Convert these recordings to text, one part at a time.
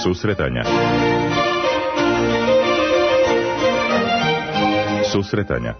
Susretanja. Susretanja.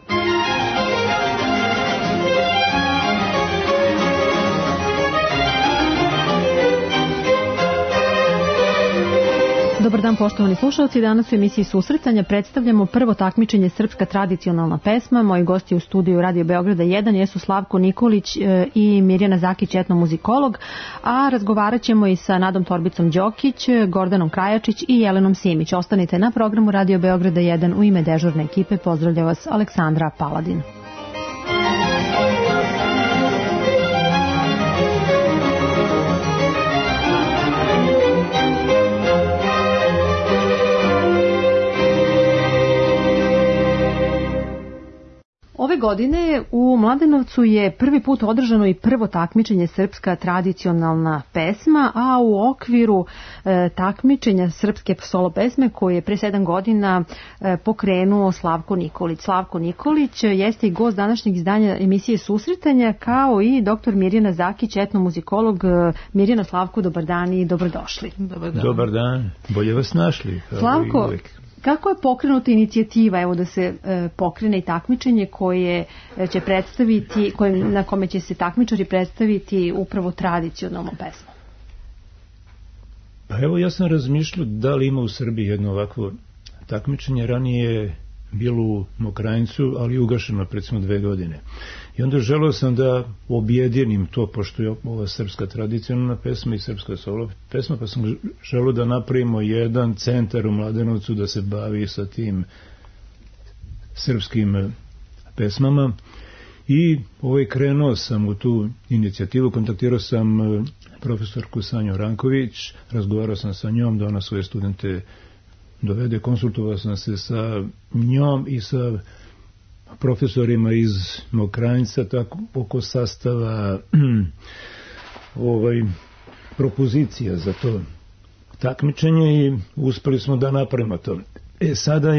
Dobar dan, poštovani slušalci. Danas u emisiji Susretanja predstavljamo prvo takmičenje Srpska tradicionalna pesma. Moji gosti u studiju Radio Beograda 1 jesu Slavko Nikolić i Mirjana Zakić, etnomuzikolog, a razgovarat ćemo i sa Nadom Torbicom Đokić, Gordanom Krajačić i Jelenom Simić. Ostanite na programu Radio Beograda 1. U ime dežurne ekipe pozdravlja vas Aleksandra Paladin. Ove godine u Mladenovcu je prvi put održano i prvo takmičenje Srpska tradicionalna pesma, a u okviru takmičenja srpske solo pesme koje je pre 7 godina pokrenuo Slavko Nikolić. Slavko Nikolić jeste i gost današnjeg izdanja emisije Susretanja, kao i dr. Mirjana Zakić, etnomuzikolog. Mirjana, Slavko, dobar dan i dobrodošli. Dobar dan, bolje vas našli. Slavko, kako je pokrenuta inicijativa, evo, da se pokrene i takmičenje koje će predstaviti, na kome će se takmičari predstaviti upravo tradicionalnu pesmu? Pa evo, ja sam razmišljao da li ima u Srbiji jedno ovakvo takmičenje. Ranije je bilo u Mokranjcu, ali ugašeno recimo 2 godine. I onda želeo sam da objedinim to, pošto je ova srpska tradicionalna pesma i srpska solo pesma, pa sam želeo da napravimo jedan centar u Mladenovcu da se bavi sa tim srpskim pesmama. I krenuo sam u tu inicijativu, kontaktirao sam profesorku Sanju Ranković, razgovarao sam sa njom da ona svoje studente dovede, konsultovao sam se sa njom i sa profesorima iz Mokranjca, tako oko sastava propozicija za to takmičenje i uspeli smo da napravimo to. Sada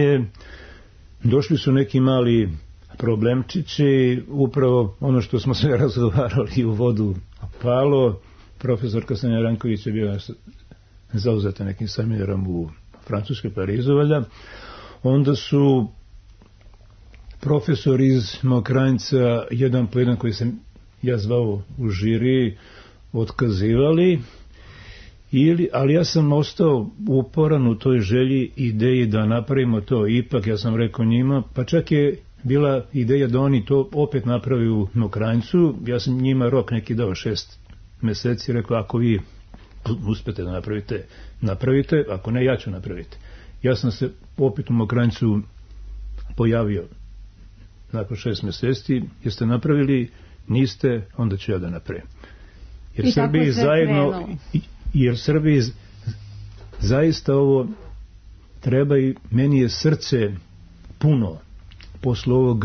došli su neki mali problemčići, upravo ono što smo sve razgovarali u vodu palo. Profesorka Sanja Ranković je bila zauzeta nekim seminarom u Francuskoj, Parizu, valjda. Onda su profesor iz Mokranjca, jedan po jedan koji sam ja zvao u žiri, otkazivali, ali ja sam ostao uporan u toj želji, ideji da napravimo to. Ipak ja sam rekao njima, pa čak je bila ideja da oni to opet napravi u Mokranjcu. Ja sam njima rok neki dao 6 meseci, rekao ako vi uspete da napravite, ako ne, ja ću napraviti. Ja sam se opet u Mokranjcu pojavio nakon 6 meseci. Jeste napravili? Niste? Onda ću ja da napravim. Jer Srbiji zaista ovo treba i meni je srce puno posle ovog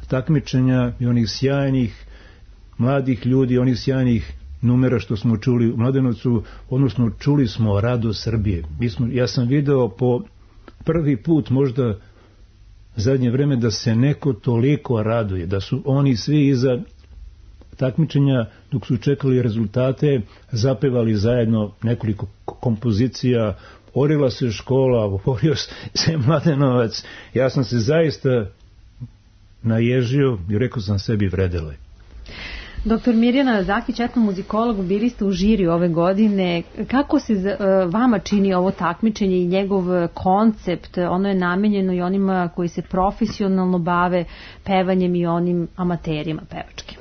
takmičenja i onih sjajnih mladih ljudi, onih sjajnih numera što smo čuli u Mladenovcu, odnosno čuli smo radost Srbije. Ja sam video po prvi put možda zadnje vreme da se neko toliko raduje, da su oni svi iza takmičenja dok su čekali rezultate zapevali zajedno nekoliko kompozicija, orila se škola, orio se Mladenovac. Ja sam se zaista naježio i rekao sam sebi vredelo je. Dr. Mirjana Zakić, etnomuzikolog, bili ste u žiri ove godine. Kako se vama čini ovo takmičenje i njegov koncept? Ono je namenjeno i onima koji se profesionalno bave pevanjem i onim amaterima pevačkim.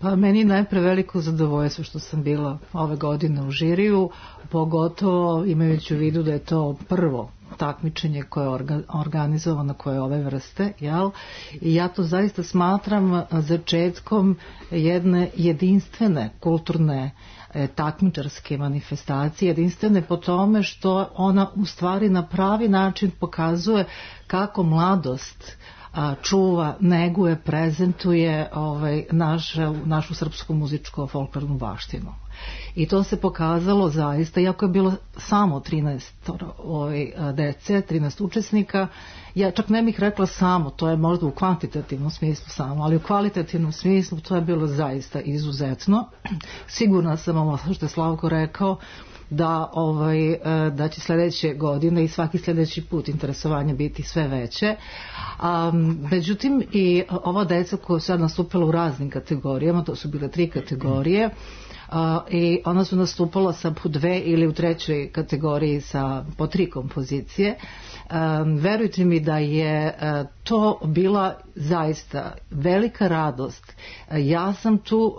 Pa meni je najpre veliko zadovoljstvo što sam bila ove godine u žiriju, pogotovo imajući u vidu da je to prvo takmičenje koje je organizovano, koje je ove vrste, jel? I ja to zaista smatram začetkom jedne jedinstvene kulturne takmičarske manifestacije, jedinstvene po tome što ona u stvari na pravi način pokazuje kako mladost čuva, neguje, prezentuje našu srpsku muzičku folklornu baštinu. I to se pokazalo zaista, iako je bilo samo 13 dece, 13 učesnika, ja čak ne bih rekla samo, to je možda u kvantitativnom smislu samo, ali u kvalitativnom smislu to je bilo zaista izuzetno. Sigurna sam, ovo što je Slavko rekao, da će sledeće godine i svaki sledeći put interesovanje biti sve veće. Međutim, i ova deca koja su sad nastupila u raznim kategorijama, to su bile 3 kategorije, i ona su nastupala sa po 2 ili u 3. kategoriji sa po 3 kompozicije. Verujte mi da je to bila zaista velika radost. Ja sam tu,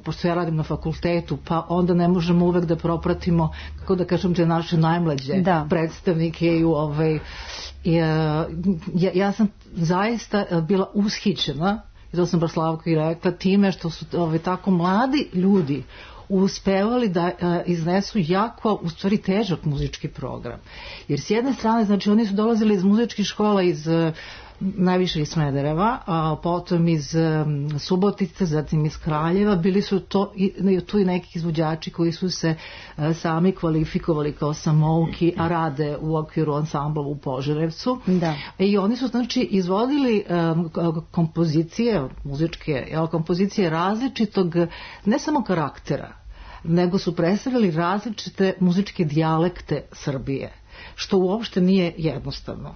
pošto ja radim na fakultetu, pa onda ne možemo uvek da propratimo, kako da kažem, te naše najmlađe predstavnike i ja sam zaista bila ushićena, i to sam baš Slavko i rekla, time što su tako mladi ljudi uspevali da iznesu jako, u stvari, težak muzički program. Jer s jedne strane, znači, oni su dolazili iz muzičkih škola najviše iz Smedereva, potom iz Subotice, zatim iz Kraljeva. Bili su tu i neki izvođači koji su se sami kvalifikovali kao samouki, a rade u okviru ansambla u Požarevcu. I oni su, znači, izvodili kompozicije, muzičke kompozicije različitog, ne samo karaktera, nego su predstavljali različite muzičke dijalekte Srbije, što uopšte nije jednostavno.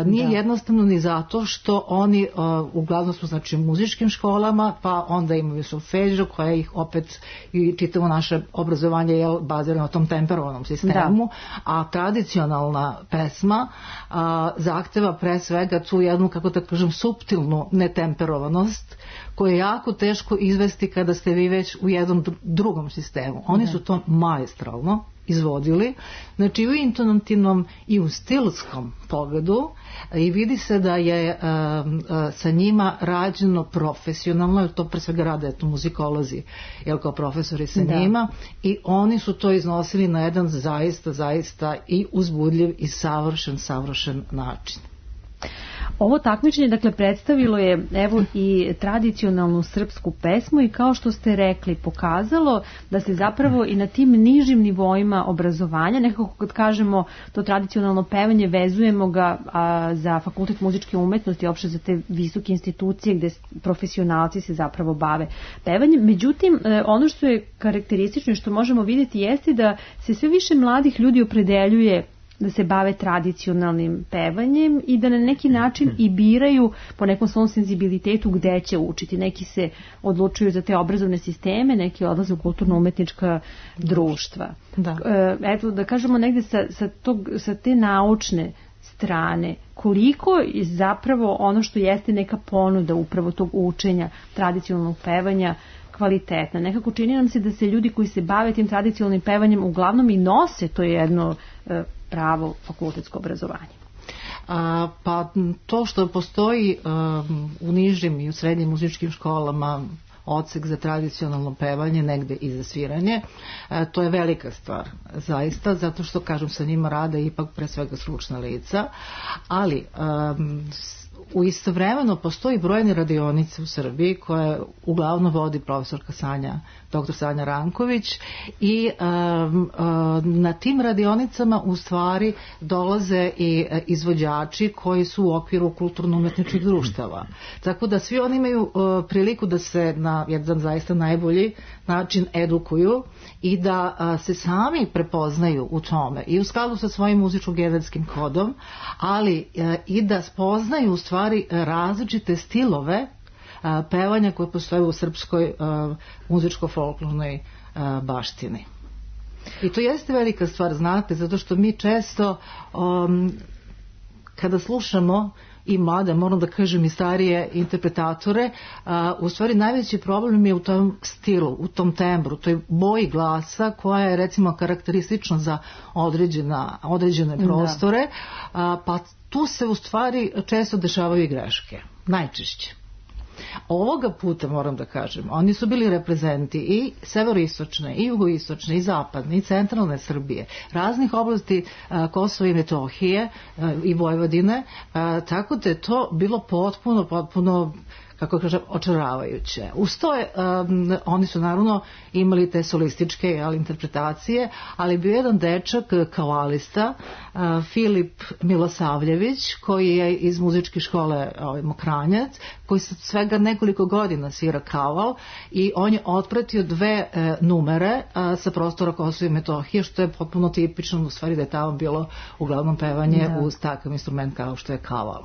Nije jednostavno ni zato što oni uglavnom su, znači, u muzičkim školama, pa onda imaju solfeđo koja ih opet, i čitavo naše obrazovanje je bazirano na tom temperovanom sistemu, a tradicionalna pesma zahteva pre svega tu jednu, kako da kažem, suptilnu netemperovanost koju je jako teško izvesti kada ste vi već u jednom drugom sistemu. Oni su to maestralno izvodili, znači u intonativnom i u stilskom pogledu, i vidi se da je sa njima rađeno profesionalno, jer to pre svega rade muzikolozi, kao profesori sa njima, i oni su to iznosili na jedan zaista i uzbudljiv i savršen način. Ovo takmičenje, dakle, predstavilo je i tradicionalnu srpsku pesmu i, kao što ste rekli, pokazalo da se zapravo i na tim nižim nivoima obrazovanja, nekako kad kažemo to tradicionalno pevanje, vezujemo ga za Fakultet muzičke umetnosti, uopšte za te visoke institucije gde profesionalci se zapravo bave pevanjem. Međutim, ono što je karakteristično i što možemo vidjeti jeste da se sve više mladih ljudi opredeljuje da se bave tradicionalnim pevanjem i da na neki način i biraju po nekom svom senzibilitetu gde će učiti. Neki se odlučuju za te obrazovne sisteme, neki odlaze u kulturno-umetnička društva. Eto, da kažemo negde sa te naučne strane, koliko je zapravo ono što jeste neka ponuda upravo tog učenja tradicionalnog pevanja kvalitetna. Nekako čini nam se da se ljudi koji se bave tim tradicionalnim pevanjem uglavnom i nose to jedno pravo fakultetsko obrazovanje. Pa to što postoji u nižim i u srednjim muzičkim školama odsek za tradicionalno pevanje, negde i za sviranje, to je velika stvar, zaista, zato što, kažem, sa njima rade ipak pre svega stručna lica, ali u istovremeno postoji brojne radionice u Srbiji koje uglavnom vodi profesorka dr. Sanja Ranković, i na tim radionicama u stvari dolaze i izvođači koji su u okviru kulturno-umetničkih društava. Tako da svi oni imaju priliku da se na jedan zaista najbolji način edukuju i da se sami prepoznaju u tome i u skladu sa svojim muzičko-genetskim kodom, ali i da spoznaju u stvari različite stilove pevanja koje postoje u srpskoj muzičko-folklornoj baštini. I to jeste velika stvar, znate, zato što mi često kada slušamo i mlade, moram da kažem i starije interpretatore, u stvari najveći problem je u tom stilu, u tom tembru, toj boji glasa koja je, recimo, karakteristična za određene prostore, pa tu se u stvari često dešavaju i greške, najčešće. Ovoga puta, moram da kažem, oni su bili reprezenti i severoistočne, i jugoistočne, i zapadne, i centralne Srbije, raznih oblasti Kosova i Metohije i Vojvodine, tako da je to bilo potpuno, kako kažem, očaravajuće. Uz to oni su naravno imali te solističke interpretacije, ali bio jedan dečak kavalista, Filip Milosavljević, koji je iz muzičke škole Mokranjac, koji sa svega nekoliko godina svira kaval i on je otpratio 2 numere sa prostora Kosova i Metohije, što je potpuno tipično, u stvari da je tamo bilo uglavnom pevanje uz takav instrument kao što je kaval.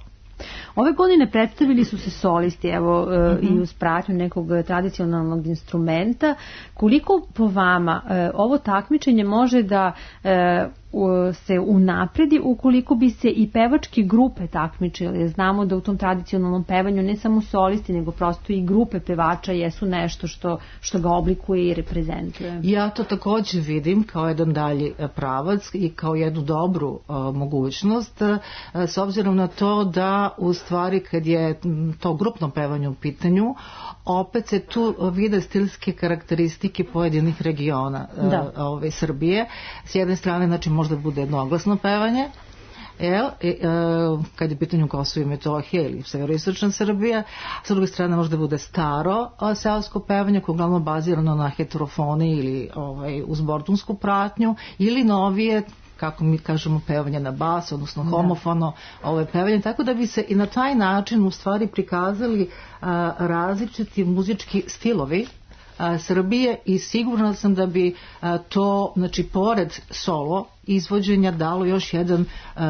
Ove godine predstavili su se solisti, evo, i uz pratnju nekog tradicionalnog instrumenta. Koliko po vama ovo takmičenje može da se unapredi ukoliko bi se i pevačke grupe takmičile? Znamo da u tom tradicionalnom pevanju ne samo solisti, nego prosto i grupe pevača jesu nešto što ga oblikuje i reprezentuje. Ja to također vidim kao jedan dalji pravac i kao jednu dobru mogućnost, s obzirom na to da u stvari kad je to grupno pevanje u pitanju, opet se tu vide stilske karakteristike pojedinih regiona Srbije. S jedne strane, znači, možda bude jednoglasno pevanje, kad je pitanju Kosovo i Metohija ili severoistočna Srbija, s druge strane možda bude staro seosko pevanje koje je uglavnom bazirano na heterofoni ili uz bordunsku pratnju, ili novije, kako mi kažemo, pevanje na bas, odnosno homofono pevanje, tako da bi se i na taj način u stvari prikazali različiti muzički stilovi Srbije i sigurna sam da bi to, znači, pored solo izvođenja dalo još jedan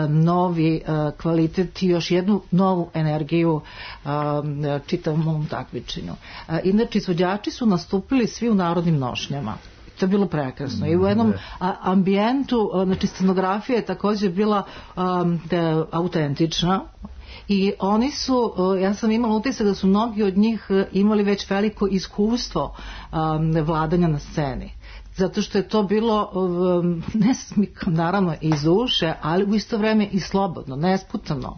novi kvalitet i još jednu novu energiju čitavom ovom takmičenju. Inače, izvođači su nastupili svi u narodnim nošnjama. To je bilo prekrasno. I u jednom ambijentu, znači scenografija je također bila autentična. I oni su, ja sam imala utisak da su mnogi od njih imali već veliko iskustvo vladanja na sceni. Zato što je to bilo, naravno, iz uše, ali u isto vrijeme i slobodno, nesputano.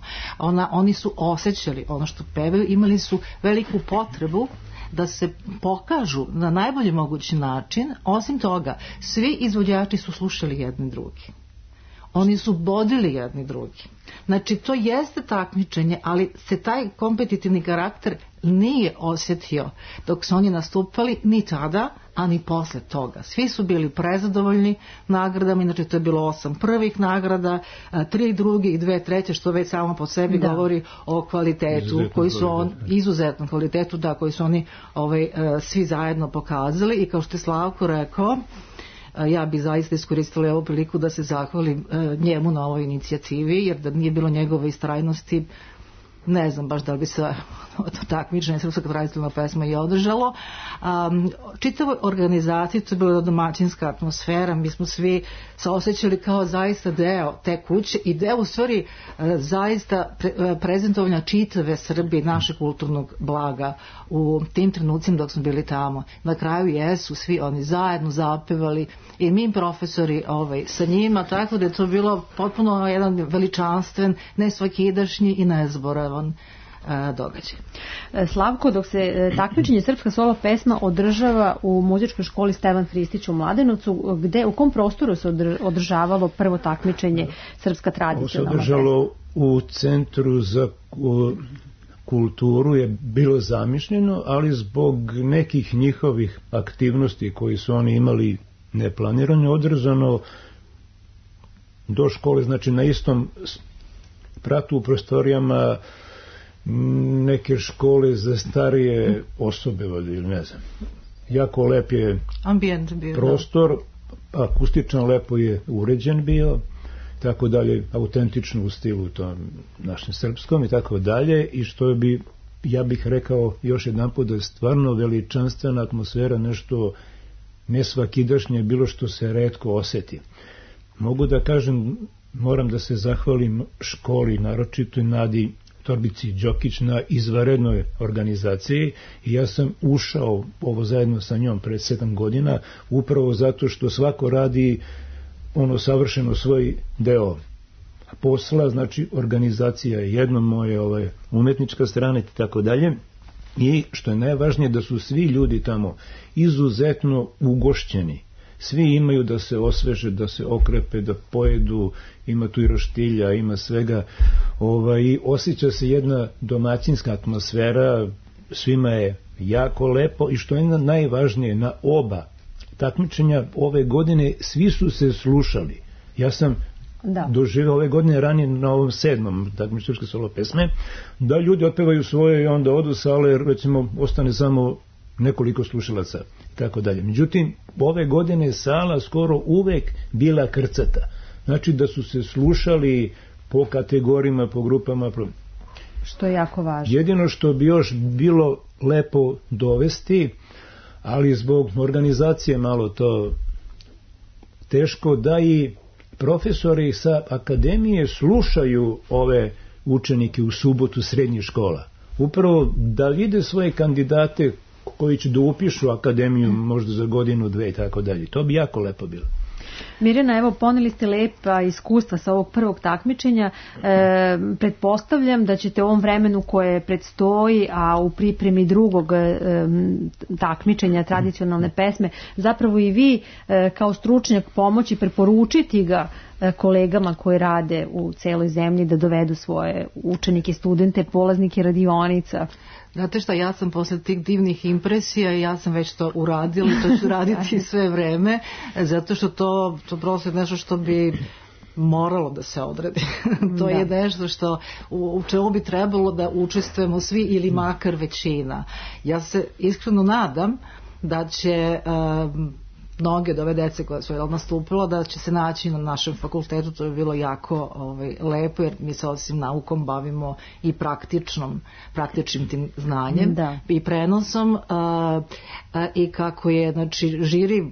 Oni su osjećali ono što pevaju, imali su veliku potrebu da se pokažu na najbolji mogući način. Osim toga, svi izvođači su slušali jedni drugi. Oni su bodili jedni drugi. Znači, to jeste takmičenje, ali se taj kompetitivni karakter nije osjetio dok su oni nastupali ni tada, a ni posle toga. Svi su bili prezadovoljni nagradama, inače to je bilo 8 prvih nagrada, 3 druge i 2 treće, što već samo po sebi govori o kvalitetu, izuzetnom kvalitetu, koji su oni svi zajedno pokazali. I kao što je Slavko rekao, ja bi zaista iskoristila ovu priliku da se zahvalim njemu na ovoj inicijativi, jer da nije bilo njegove istrajnosti, ne znam baš da li bi se takmičenje srpska tradicionalna pesma i održalo. Čitavoj organizaciji to je bila domaćinska atmosfera, mi smo svi se osjećali kao zaista deo te kuće i deo u stvari zaista prezentovanja čitave Srbije, našeg kulturnog blaga u tim trenucima dok smo bili tamo. Na kraju jesu svi oni zajedno zapevali i mi profesori sa njima, tako da je to bilo potpuno jedan veličanstven, nesvakidašnji i nezboravan događaj. Slavko, dok se takmičenje srpska solo pesma održava u muzičkoj školi Stevan Hristić u Mladenovcu, u kom prostoru se održavalo prvo takmičenje srpska tradicionalna pesma? Se održalo u Centru za kulturu, je bilo zamišljeno, ali zbog nekih njihovih aktivnosti koji su oni imali neplanirano, održano do škole, znači na istom pratu u prostorijama neke škole za starije osobe, ili ne znam. Jako lep je ambijent bio, prostor, akustično lepo je uređen bio, tako dalje, autentično u stilu tom našem srpskom i tako dalje, i što bi, ja bih rekao još jedanput, da je stvarno veličanstvena atmosfera, nešto nesvakidašnje, bilo što se retko osjeti. Mogu da kažem, moram da se zahvalim školi, naročito i Nadi Torbici Đokić na izvanrednoj organizaciji, i ja sam ušao ovo zajedno sa njom pred 7 godina upravo zato što svako radi savršeno svoj deo posla, znači organizacija je jedno, moje umetnička strana i tako dalje, i što je najvažnije da su svi ljudi tamo izuzetno ugošćeni. Svi imaju da se osveže, da se okrepe, da pojedu, ima tu i roštilja, ima svega, i osjeća se jedna domaćinska atmosfera, svima je jako lepo i što je najvažnije, na oba takmičenja ove godine svi su se slušali. Ja sam doživio ove godine ranije na ovom 7. takmičenju srpske solo pesme, da ljudi otpevaju svoje i onda odu sale, recimo ostane samo nekoliko slušalaca i tako dalje. Međutim, ove godine sala skoro uvek bila krcata. Znači da su se slušali po kategorijama, po grupama. Što je jako važno. Jedino što bi još bilo lepo dovesti, ali zbog organizacije malo to teško, da i profesori sa akademije slušaju ove učenike u subotu srednjih škola. Upravo da vide svoje kandidate koji će da upišu akademiju možda za godinu, dve i tako dalje. To bi jako lepo bilo. Mirjana, evo, poneli ste lepa iskustva sa ovog prvog takmičenja. Pretpostavljam da ćete u ovom vremenu koje predstoji, a u pripremi drugog takmičenja tradicionalne pesme, zapravo i vi kao stručnjak pomoći preporučiti ga kolegama koji rade u celoj zemlji da dovedu svoje učenike, studente, polaznike radionica. Znate šta, ja sam posle tih divnih impresija i ja sam već to uradila i to ću raditi sve vreme, zato što to prosto je nešto što bi moralo da se odredi. To je nešto što u čemu bi trebalo da učestvujemo svi ili makar većina. Ja se iskreno nadam da će mnoge od ove dece koje su nastupila da će se naći na našem fakultetu. To je bilo jako lepo, jer mi se osim naukom bavimo i praktičnim tim znanjem i prenosom, i kako je, znači, žiri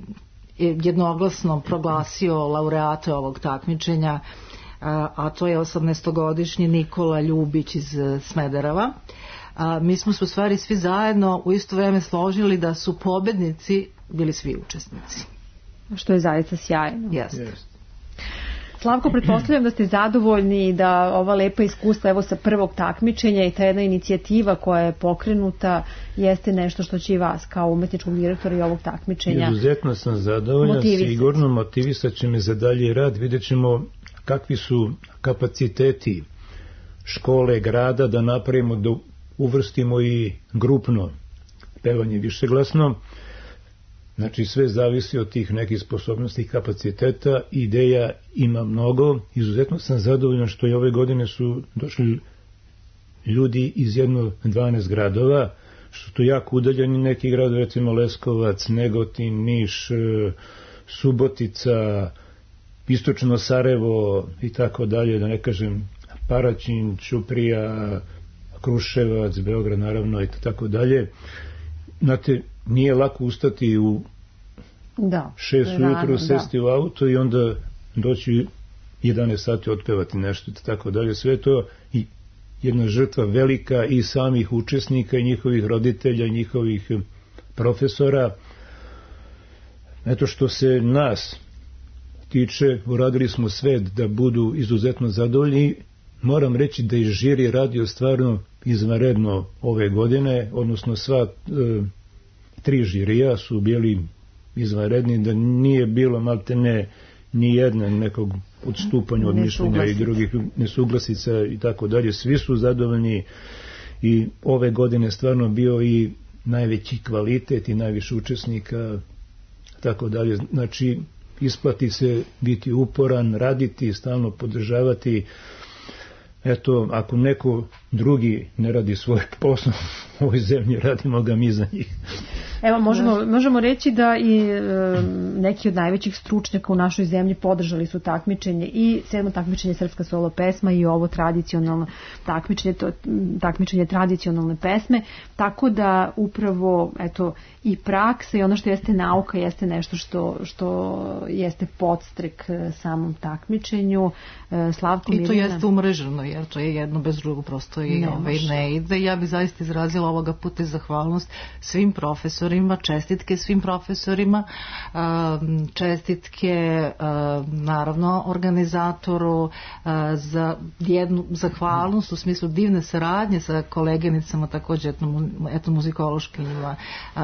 jednoglasno proglasio laureate ovog takmičenja, a to je 18-godišnji Nikola Ljubić iz Smedereva. Mi smo se u stvari svi zajedno u isto vreme složili da su pobednici bili svi učesnici. Što je zaista sjajno. Jeste. Slavko, pretpostavljam da ste zadovoljni da ova lepa iskustva evo sa prvog takmičenja i ta jedna inicijativa koja je pokrenuta jeste nešto što će i vas kao umetničkog direktora i ovog takmičenja. Izuzetno sam zadovoljan, sigurno motivisat će me za dalji rad. Vidjet ćemo kakvi su kapaciteti škole, grada, da napravimo, da uvrstimo i grupno pevanje višeglasno. Znači sve zavisi od tih nekih sposobnosti i kapaciteta. Ideja ima mnogo. Izuzetno sam zadovoljan što i ove godine su došli ljudi iz 12 gradova, što su jako udaljeni neki grad, recimo Leskovac, Negotin, Niš, Subotica, istočno Sarajevo i tako dalje, da ne kažem Paraćin, Ćuprija, Kruševac, Beograd naravno i tako dalje. Znate, nije lako ustati u 6 ujutru, sesti u auto i onda doći 11 sati otpevati nešto i tako dalje. Sve to i jedna žrtva velika i samih učesnika i njihovih roditelja i njihovih profesora. Eto, što se nas tiče, uradili smo sve da budu izuzetno zadovoljni. Moram reći da je žiri radio stvarno izvanredno ove godine, odnosno sva 3 žirija su bili izvanredni, da nije bilo maltene ni jedna nekog odstupanja od mišljenja i drugih nesuglasica i tako dalje. Svi su zadovoljni i ove godine stvarno bio i najveći kvalitet i najviše učesnika, tako dalje. Znači, isplati se biti uporan, raditi, stalno podržavati. Eto, ako neko drugi ne radi svoj posao u ovoj zemlji, radimo ga mi za njih. Evo, možemo reći da i neki od najvećih stručnjaka u našoj zemlji podržali su takmičenje, i 7. takmičenje Srpska solo pesma i ovo tradicionalno takmičenje, takmičenje tradicionalne pesme, tako da upravo eto i praksa i ono što jeste nauka jeste nešto što jeste podstrek samom takmičenju. Slavko, i to jeste umreženo, jer to je jedno bez drugog prosto i ne ide. Ja bih zaista izrazila ovoga puta zahvalnost svim profesorima, čestitke svim profesorima, čestitke naravno organizatoru, za jednu zahvalnost u smislu divne saradnje sa koleginicama također etnomuzikološkinjima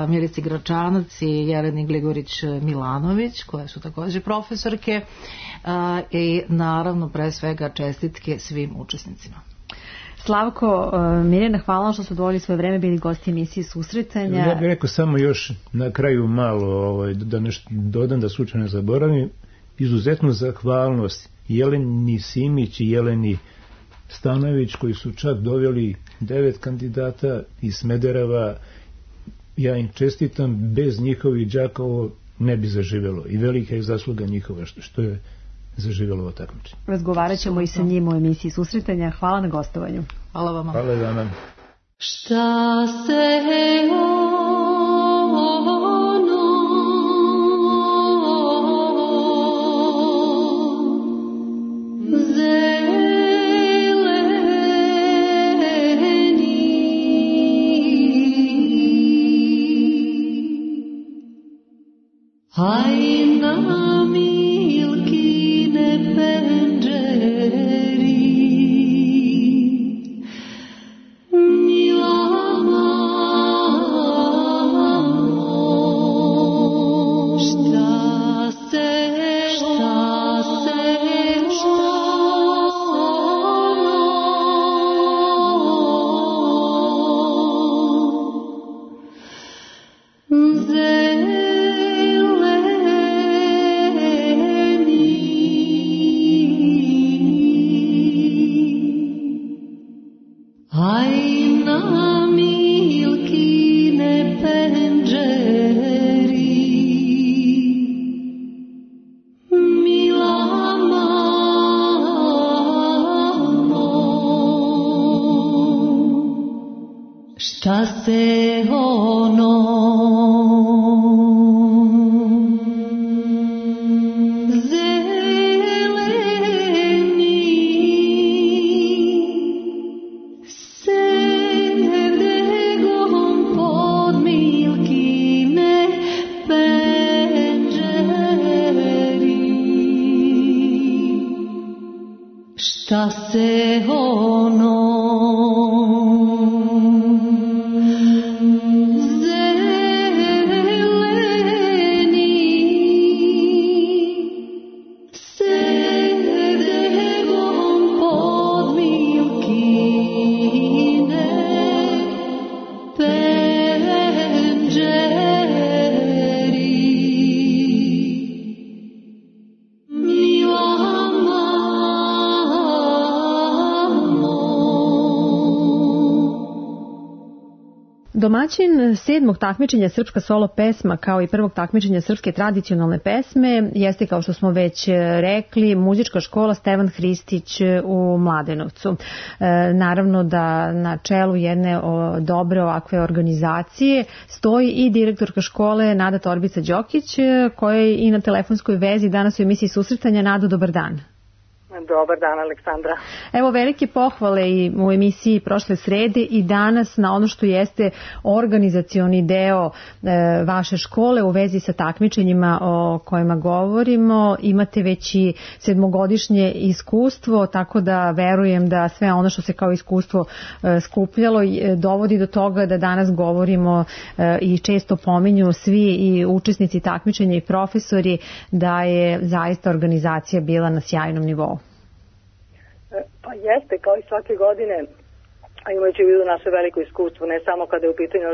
Milici Gračanac i Jeleni Gligorić Milanović, koje su također profesorke, i naravno pre svega čestitke svim učesnicima. Slavko, Mirjana, hvala što su odvojili svoje vreme, bili gosti emisije Susretanja. Ja bih rekao samo još na kraju malo, da nešto dodam, da slučajno ne zaboravim, izuzetnu zahvalnost Jeleni Simić i Jeleni Stanojević, koji su čak doveli 9 kandidata iz Smedereva. Ja im čestitam, bez njihovih đaka ovo ne bi zaživelo i velika je zasluga njihova što je zaživelo ovo takmičenje. Razgovarat ćemo i sa njim u emisiji Susretanja. Hvala na gostovanju. Hvala vama. Hvala vama. Šta se Hajna milkine penđeri, mila mamo, šta se šta se ono zeleni sedegom pod milkine penđeri, šta se ono Domaćin 7. takmičenja Srpska solo pesma kao i 1. takmičenja Srpske tradicionalne pesme jeste, kao što smo već rekli, muzička škola Stevan Hristić u Mladenovcu. Naravno da na čelu jedne dobre ovakve organizacije stoji i direktorka škole Nada Torbica-Đokić, koja je i na telefonskoj vezi danas u emisiji Susretanja. Nado, dobar dan. Dobar dan, Aleksandra. Evo, velike pohvale i u emisiji prošle srede i danas na ono što jeste organizacioni deo vaše škole u vezi sa takmičenjima o kojima govorimo. Imate već i 7-godišnje iskustvo, tako da verujem da sve ono što se kao iskustvo skupljalo dovodi do toga da danas govorimo i često pominju svi i učesnici takmičenja i profesori da je zaista organizacija bila na sjajnom nivou. Pa jeste, kao i svake godine, a imajući u vidu naše veliko iskustvo, ne samo kada je u pitanju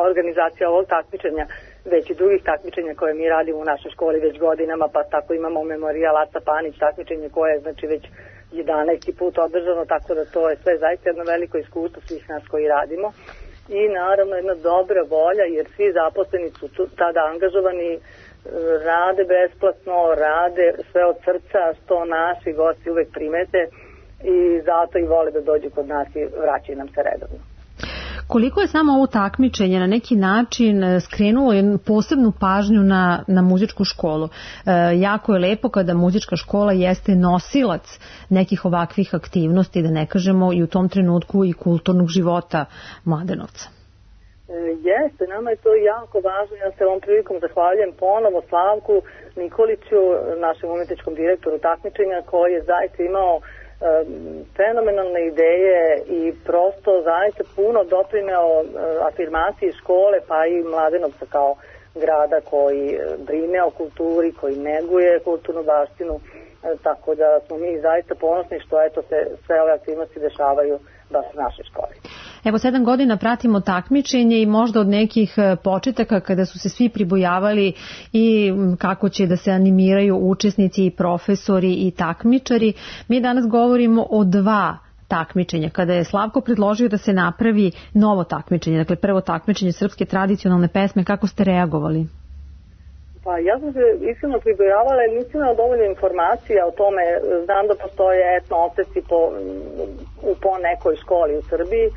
organizacija ovog takmičenja, već i drugih takmičenja koje mi radimo u našoj školi već godinama, pa tako imamo Memorijal Aca Panić, takmičenje koje je znači već 11. put održano, tako da to je sve zaista jedno veliko iskustvo svih nas koji radimo. I naravno jedna dobra volja, jer svi zaposleni su tada angažovani, rade besplatno, rade sve od srca, što naši gosti uvek primete i zato i vole da dođu kod nas i vraćaju nam se redovno. Koliko je samo ovo takmičenje na neki način skrenulo jednu posebnu pažnju na muzičku školu? Jako je lepo kada muzička škola jeste nosilac nekih ovakvih aktivnosti, da ne kažemo i u tom trenutku i kulturnog života Mladenovca. Jeste, nama je to jako važno. Ja se ovom prilikom zahvaljujem ponovo Slavku Nikoliću, našem umetničkom direktoru takmičenja, koji je zaista imao fenomenalne ideje i prosto zaista puno doprineo afirmaciji škole pa i Mladenovca kao grada koji brine o kulturi, koji neguje kulturnu baštinu, tako da smo mi zaista ponosni što eto se sve ove aktivnosti dešavaju baš u našoj školi. Evo 7 godina pratimo takmičenje i možda od nekih početaka kada su se svi pribojavali i kako će da se animiraju učesnici i profesori i takmičari. Mi danas govorimo o 2 takmičenja. Kada je Slavko predložio da se napravi novo takmičenje, dakle prvo takmičenje srpske tradicionalne pesme, kako ste reagovali? Pa ja sam se iskreno pribojavala jer nisam imala dovoljno informacija o tome. Znam da postoje etno oceci po nekoj školi u Srbiji,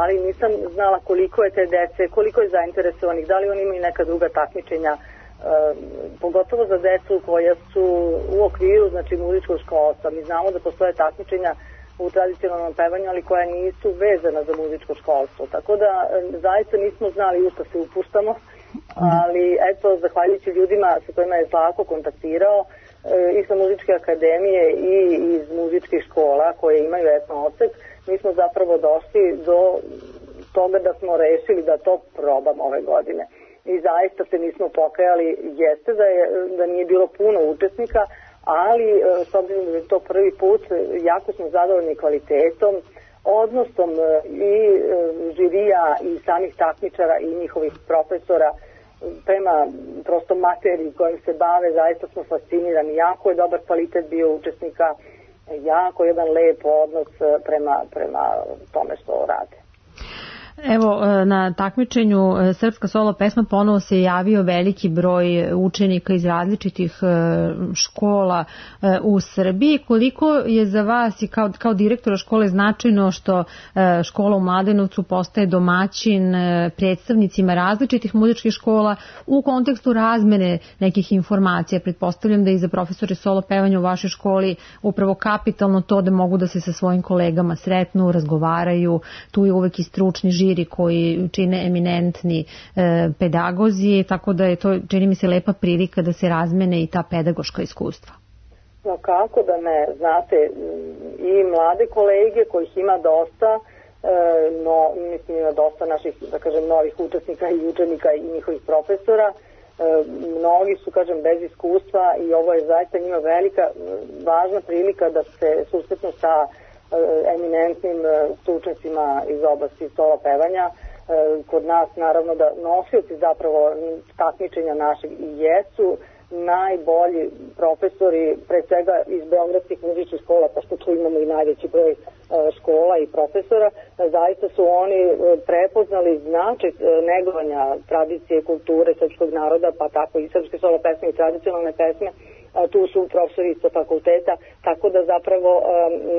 ali nisam znala koliko je te dece, koliko je zainteresovanih, da li oni imaju neka druga takmičenja, pogotovo za decu koja su u okviru, znači muzičkog školstva. Mi znamo da postoje takmičenja u tradicionalnom pevanju, ali koja nisu vezana za muzičko školstvo. Tako da zaista nismo znali u što se upuštamo, ali eto, zahvaljujući ljudima sa kojima je Slavko kontaktirao i sa muzičke akademije i iz muzičkih škola koje imaju etno odsek, mi smo zapravo došli do toga da smo rešili da to probamo ove godine. I zaista se nismo pokajali, jeste da nije bilo puno učesnika, ali s obzirom da je to prvi put, jako smo zadovoljni kvalitetom, odnosom i žirija i samih takmičara i njihovih profesora prema prosto materiji kojim se bave. Zaista smo fascinirani, jako je dobar kvalitet bio učesnika, jako jedan lep odnos prema tome što rade. Evo, na takmičenju Srpska solo pesma ponovo se javio veliki broj učenika iz različitih škola u Srbiji. Koliko je za vas i kao direktora škole značajno što škola u Mladenovcu postaje domaćin predstavnicima različitih muzičkih škola u kontekstu razmene nekih informacija? Pretpostavljam da i za profesore solo pevanja u vašoj školi upravo kapitalno to da mogu da se sa svojim kolegama sretnu, razgovaraju, tu je uvek i stručni žiri koji čine eminentni pedagozi, tako da je to, čini mi se, lepa prilika da se razmene i ta pedagoška iskustva. No kako da ne, znate, i mlade kolege kojih ima dosta, no mislim ima dosta naših, da kažem, novih učesnika i učenika i njihovih profesora, mnogi su, kažem, bez iskustva i ovo je zaista njima velika, važna prilika da se susretnu sa eminentnim stručnjacima iz oblasti solo pevanja. Kod nas naravno da nosioci zapravo takmičenja našeg i jesu najbolji profesori, pre svega iz beogradskih muzičkih škola, pošto tu imamo i najveći broj škola i profesora. Zaista su oni prepoznali značaj negovanja tradicije, kulture srpskog naroda, pa tako i srpske solo pesme i tradicionalne pesme. Tu su profesori sa fakulteta, tako da zapravo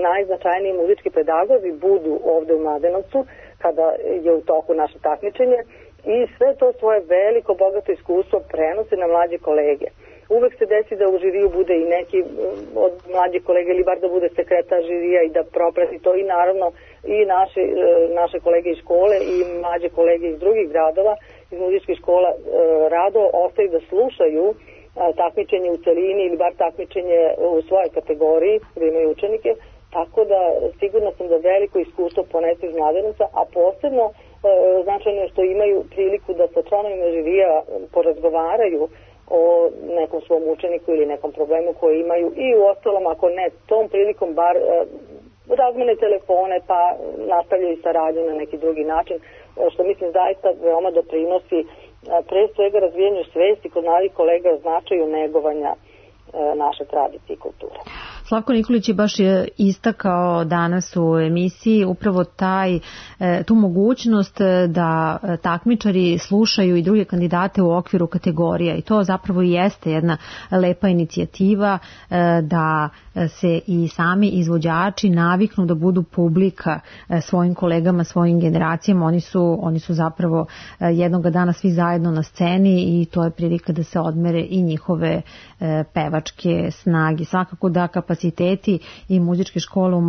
najznačajniji muzički pedagozi budu ovde u Mladenovcu kada je u toku naše takmičenje i sve to svoje veliko, bogato iskustvo prenose na mlađe kolege. Uvek se desi da u žiriju bude i neki od mlađih kolega ili bar da bude sekretar žirija i da proprati to i naravno i naše kolege iz škole i mlađe kolege iz drugih gradova, iz muzičkih škola rado ostaju da slušaju takmičenje u celini ili bar takmičenje u svojoj kategoriji gde imaju učenike, tako da sigurno sam da veliko iskustvo ponesu iz Mladenovca, a posebno značajno je što imaju priliku da sa članovima žirija porazgovaraju o nekom svom učeniku ili nekom problemu koji imaju i u ostalom, ako ne tom prilikom, bar razmene telefone pa nastavljaju saradnju na neki drugi način, što mislim zaista veoma doprinosi pre svega razvijanju svesti kod mladih kolega o značaju negovanja naše tradicije i kulture. Slavko Nikolić je baš istakao danas u emisiji upravo tu mogućnost da takmičari slušaju i druge kandidate u okviru kategorija i to zapravo i jeste jedna lepa inicijativa da se i sami izvođači naviknu da budu publika svojim kolegama, svojim generacijama. Oni su zapravo jednog dana svi zajedno na sceni i to je prilika da se odmere i njihove pevačke snage. Svakako da kapaciteti i muzičke škole u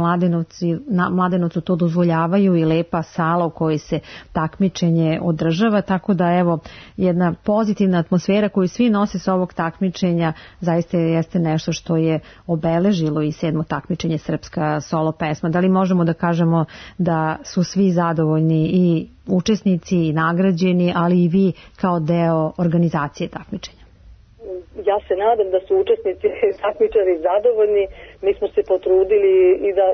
Mladenovcu to dozvoljavaju i lepa sala u kojoj se takmičenje održava, tako da evo jedna pozitivna atmosfera koju svi nose sa ovog takmičenja zaista jeste nešto što je obeležilo i 7. takmičenje Srpska solo pesma. Da li možemo da kažemo da su svi zadovoljni i učesnici i nagrađeni, ali i vi kao deo organizacije takmičenja? Ja se nadam da su učesnici takmičari zadovoljni. mi smo se potrudili i da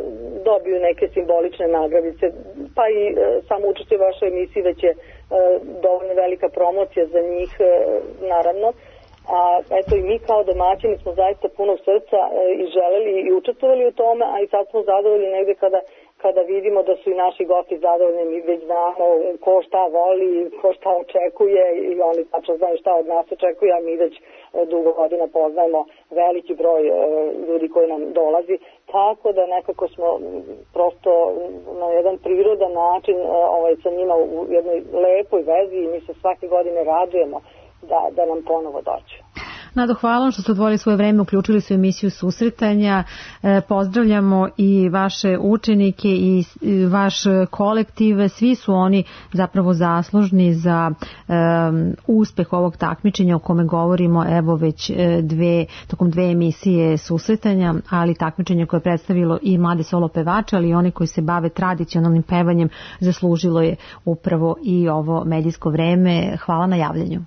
dobiju neke simbolične nagradice, pa i samo učešće u vašoj emisiji već je dovoljno velika promocija za njih, naravno. A eto i mi kao domaćini smo zaista punog srca i želeli i učestvovali u tome, a i sad smo zadovoljni negde kada vidimo da su i naši gosti zadovoljni, mi već znamo ko šta voli, ko šta očekuje i oni tačno znaju šta od nas očekuje, a mi već dugo godina poznajemo veliki broj ljudi koji nam dolazi, tako da nekako smo prosto na jedan prirodan način sa njima u jednoj lepoj vezi i mi se svake godine radujemo da nam ponovo dođu. Nado, hvala što ste odvojili svoje vreme, uključili su emisiju susretanja. Pozdravljamo i vaše učenike i vaš kolektiv. Svi su oni zapravo zaslužni za uspeh ovog takmičenja o kome govorimo evo već tokom dve emisije susretanja, ali takmičenje koje je predstavilo i mlade solo pevače, ali i oni koji se bave tradicionalnim pevanjem zaslužilo je upravo i ovo medijsko vreme. Hvala na javljanju.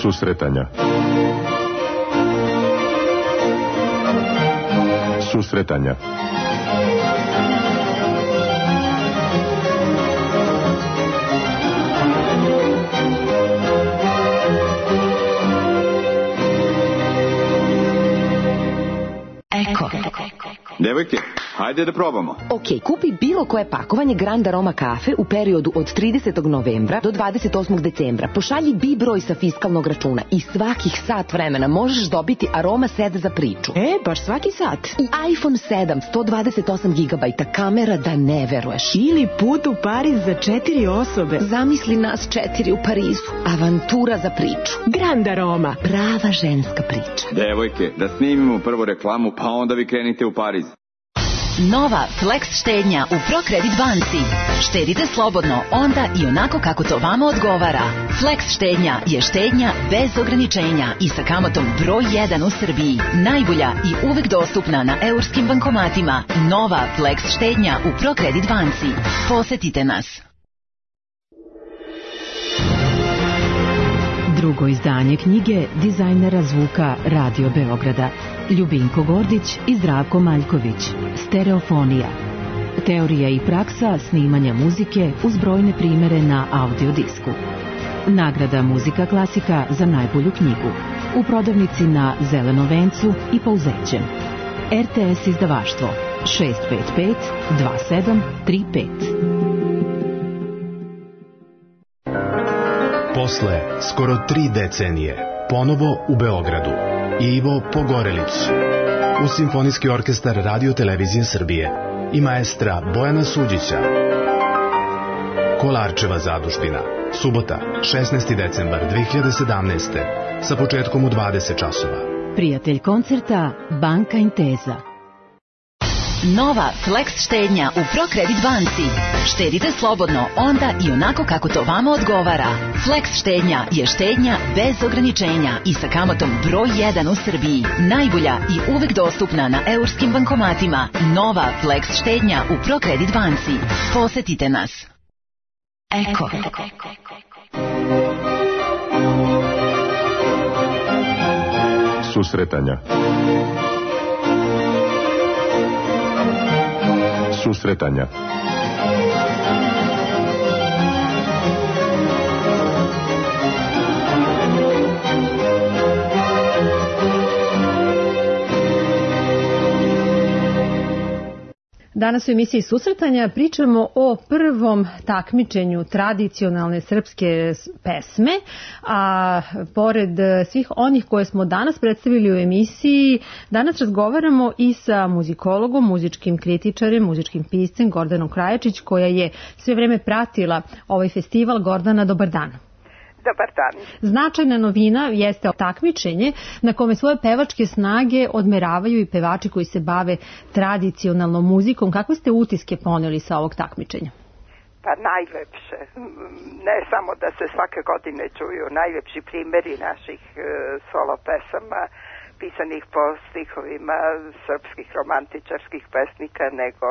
Susretanja. Susretanja. Eko. Devojke, hajde da probamo. Ok, kupi bilo koje pakovanje Grand Aroma kafe u periodu od 30. novembra do 28. decembra. Pošalji bi broj sa fiskalnog računa i svakih sat vremena možeš dobiti Aroma set za priču. Baš svaki sat. I iPhone 7, 128 GB, kamera da ne veruješ. Ili put u Pariz za 4 osobe. Zamisli nas 4 u Parizu. Avantura za priču. Grand Aroma. Prava ženska priča. Devojke, da snimimo prvo reklamu, pa onda vi krenite u Pariz. Nova Flex štednja u ProCredit banci. Štedite slobodno, onda i onako kako to vama odgovara. Flex štednja je štednja bez ograničenja i sa kamatom broj 1 u Srbiji. Najbolja i uvek dostupna na eurskim bankomatima. Nova Flex štednja u ProCredit banci. Posetite nas. Drugo izdanje knjige dizajnera zvuka Radio Beograda Ljubinko Gordić i Zdravko Maljković. Stereofonija. Teorija i praksa snimanja muzike uz brojne primere na audiodisku. Nagrada Muzika klasika za najbolju knjigu. U prodavnici na Zelenom vencu i Pouzećem. RTS izdavaštvo 655 2735. Posle skoro 3 decenije, ponovo u Beogradu, Ivo Pogorelić, uz Simfonijski orkestar Radio Televizije Srbije i maestra Bojana Suđića. Kolarčeva zadužbina. Subota, 16. decembar 2017. sa početkom u 20 časova. Prijatelj koncerta Banka Intesa. Nova Flex štednja u ProCredit banci. Štedite slobodno, onda i onako kako to vama odgovara. Flex štednja je štednja bez ograničenja i sa kamatom broj 1 u Srbiji. Najbolja i uvek dostupna na eurskim bankomatima. Nova Flex štednja u ProCredit banci. Posetite nas. Eko. Susretanja. Susretanja. Danas u emisiji Susretanja pričamo o prvom takmičenju tradicionalne srpske pesme, a pored svih onih koje smo danas predstavili u emisiji, danas razgovaramo i sa muzikologom, muzičkim kritičarem, muzičkim piscem Gordanom Krajačić, koja je sve vreme pratila ovaj festival. Gordana, dobar dan. Dobar dan. Značajna novina jeste takmičenje na kome svoje pevačke snage odmeravaju i pevači koji se bave tradicionalnom muzikom. Kakve ste utiske poneli sa ovog takmičenja? Pa najlepše. Ne samo da se svake godine čuju najlepši primjeri naših solo pesama pisanih po stihovima srpskih romantičarskih pesnika, nego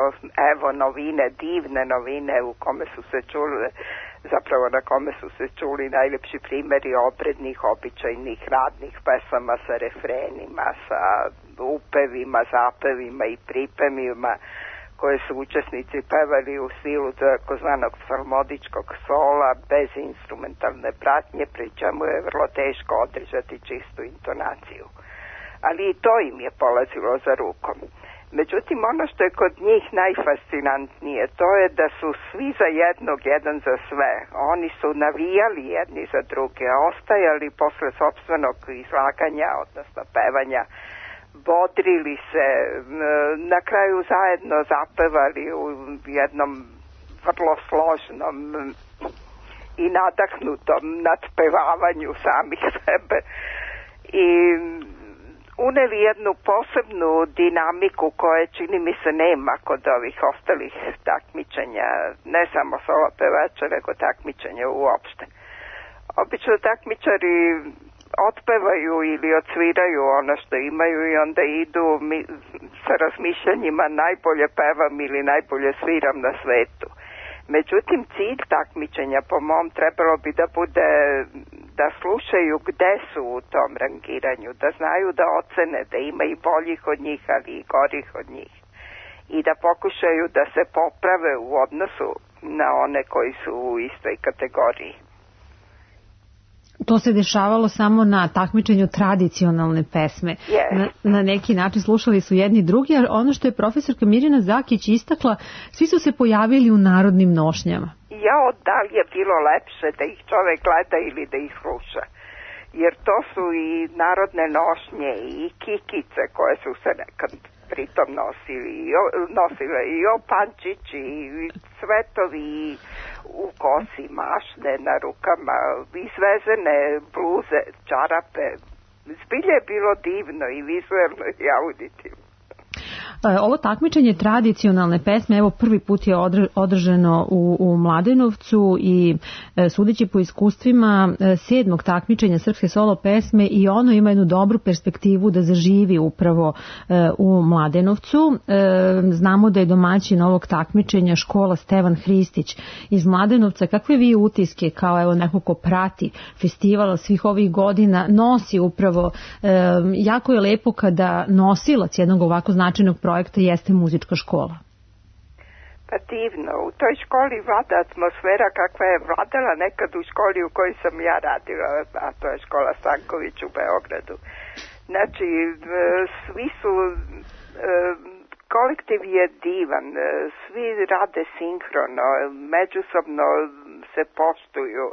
evo novine, divne novine u kome su se čuli, zapravo na kome su se čuli najlepši primjeri obrednih, običajnih, radnih pesama sa refrenima, sa upevima, zapevima i pripevima koje su učesnici pevali u stilu takozvanog salmodičkog sola bez instrumentalne pratnje, pri čemu je vrlo teško održati čistu intonaciju. Ali i to im je polazilo za rukom. Međutim, ono što je kod njih najfascinantnije, to je da su svi za jednog, jedan za sve. Oni su navijali jedni za druge, ostajali posle sopstvenog izlaganja, odnosno pevanja, bodrili se, na kraju zajedno zapevali u jednom vrlo složnom i nadahnutom nadpevavanju samih sebe. I uneli jednu posebnu dinamiku koje čini mi se nema kod ovih ostalih takmičenja, ne samo solo pevača, nego takmičenja uopšte. Obično takmičari otpevaju ili odsviraju ono što imaju i onda idu sa razmišljanjima najbolje pevam ili najbolje sviram na svetu. Međutim, cilj takmičenja po mom trebalo bi da bude da slušaju gde su u tom rangiranju, da znaju da ocene da ima i boljih od njih, ali i gorih od njih. I da pokušaju da se poprave u odnosu na one koji su u istoj kategoriji. To se dešavalo samo na takmičenju tradicionalne pesme. Na neki način slušali su jedni drugi, a ono što je profesorka Mirjana Zakić istakla, svi su se pojavili u narodnim nošnjama. Da li je bilo lepše da ih čovek gleda ili da ih sluša? Jer to su i narodne nošnje i kikice koje su se nekad pritom nosile i opančići i cvetovi u kosi, mašne na rukama, izvezene bluze, čarape. Zbilje je bilo divno i vizuelno i auditivno. Ovo takmičenje tradicionalne pesme, evo prvi put je održano u Mladenovcu i sudeći po iskustvima 7. takmičenja srpske solo pesme i ono ima jednu dobru perspektivu da zaživi upravo u Mladenovcu. Znamo da je domaćin ovog takmičenja škola Stevan Hristić iz Mladenovca. Kakve vi utiske kao evo neko ko prati festivala svih ovih godina nosi upravo, jako je lepo kada nosilac jednog ovako značajnog projekta jeste muzička škola. Pa divno, u toj školi vlada atmosfera kakva je vladala nekad u školi u kojoj sam ja radila, a to je škola Stanković u Beogradu. Znači, svi su, kolektiv je divan, svi rade sinhrono, međusobno se poštuju.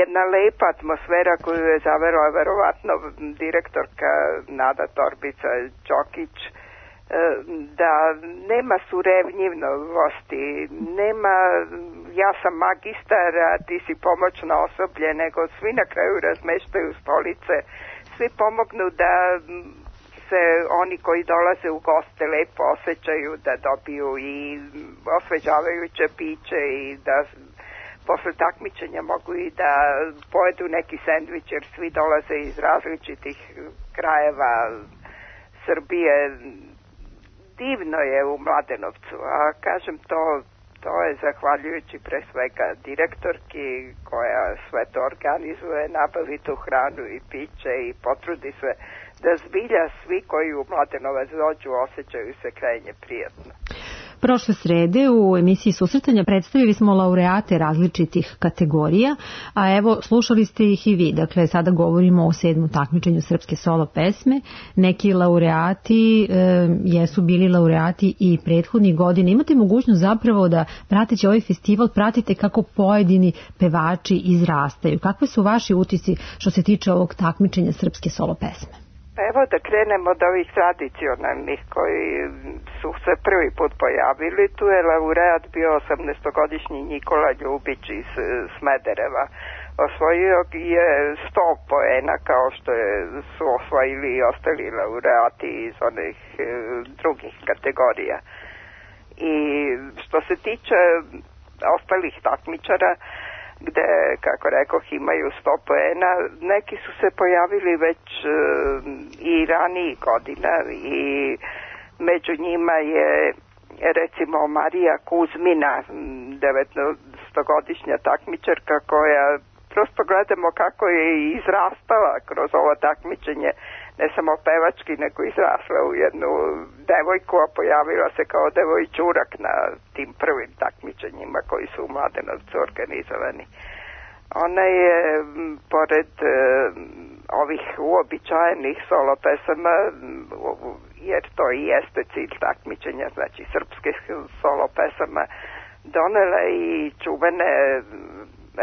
Jedna lepa atmosfera koju je zavela verovatno direktorka Nada Torbica Đokić, da nema surevnjivosti, nema ja sam magistar, a ti si pomoćno osoblje, nego svi na kraju razmeštaju stolice, svi pomognu da se oni koji dolaze u goste lepo osjećaju, da dobiju i osvežavajuće piće i da posle takmičenja mogu i da pojedu neki sendvič, jer svi dolaze iz različitih krajeva Srbije. Divno je u Mladenovcu, a kažem to je zahvaljujući pre svega direktorki koja sve to organizuje, nabavi tu hranu i piće i potrudi se da zbilja svi koji u Mladenovac dođu osjećaju se krajnje prijatno. Prošle srede u emisiji Susretanja predstavili smo laureate različitih kategorija, a evo slušali ste ih i vi. Dakle, sada govorimo o 7. takmičenju srpske solo pesme. Neki laureati jesu bili laureati i prethodnih godina. Imate mogućnost zapravo da prateći ovaj festival pratite kako pojedini pevači izrastaju. Kakve su vaši utisci što se tiče ovog takmičenja srpske solo pesme? Evo da krenemo od ovih tradicionalnih koji su se prvi put pojavili. Tu je laureat bio 18-godišnji Nikola Ljubić iz Smedereva. Osvojio je 100 poena kao što su osvojili i ostali laureati iz onih drugih kategorija. I što se tiče ostalih takmičara, gde, kako rekoh, imaju 100 poena, neki su se pojavili već i ranijih godina i među njima je recimo Marija Kuzmina, 19-godišnja takmičarka koja prosto gledamo kako je izrastala kroz ovo takmičenje, ne samo pevački, nego izrasla u jednu devojku, a pojavila se kao devojčurak na tim prvim takmičenjima koji su u Mladenovcu organizovani. Ona je, pored ovih uobičajenih solo pesama, jer to i jeste cilj takmičenja, znači srpske solo pesama, donela i čuvene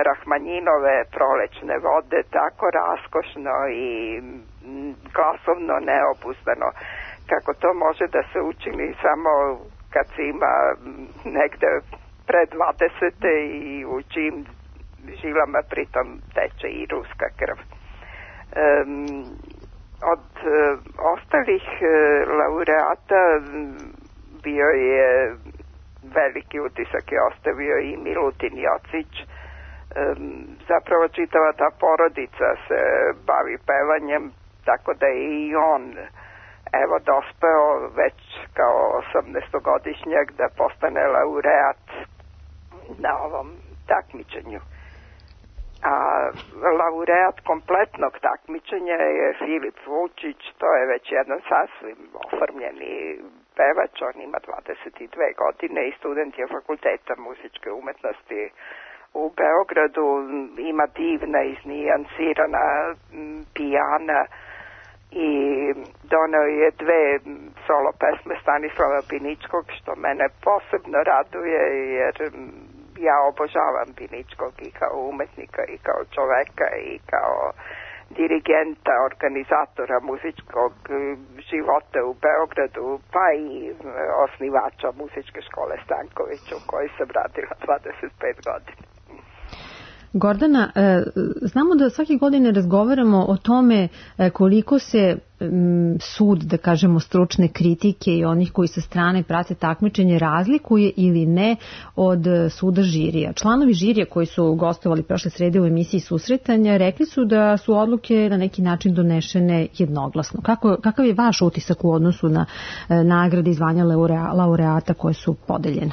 Rahmanjinove Prolećne vode, tako raskošno i glasovno neobuzdano, kako to može da se učini samo kad se ima negde pre 20. i u čijim žilama pritom teče i ruska krv. Od ostalih laureata bio je veliki utisak je ostavio i Milutin Jocić. Zapravo čitava ta porodica se bavi pevanjem, tako da je i on evo dospeo već kao 18-godišnjak da postane laureat na ovom takmičenju. A laureat kompletnog takmičenja je Filip Vučić, to je već jedan sasvim oformljeni pevač, on ima 22 godine i student je Fakulteta muzičke umetnosti u Beogradu, ima divna, iznijansirana pijana i doneo je 2 solo pesme Stanislava Biničkog, što mene posebno raduje, jer ja obožavam Biničkog i kao umetnika i kao čoveka i kao dirigenta, organizatora muzičkog života u Beogradu, pa i osnivača muzičke škole Stanković, u kojoj sam radila 25 godina. Gordana, znamo da svake godine razgovaramo o tome koliko se sud, da kažemo, stručne kritike i onih koji sa strane prate takmičenje razlikuje ili ne od suda žirija. Članovi žirija koji su gostovali prošle srede u emisiji Susretanja rekli su da su odluke na neki način donešene jednoglasno. Kakav je vaš utisak u odnosu na nagrade i zvanja laureata koje su podeljene?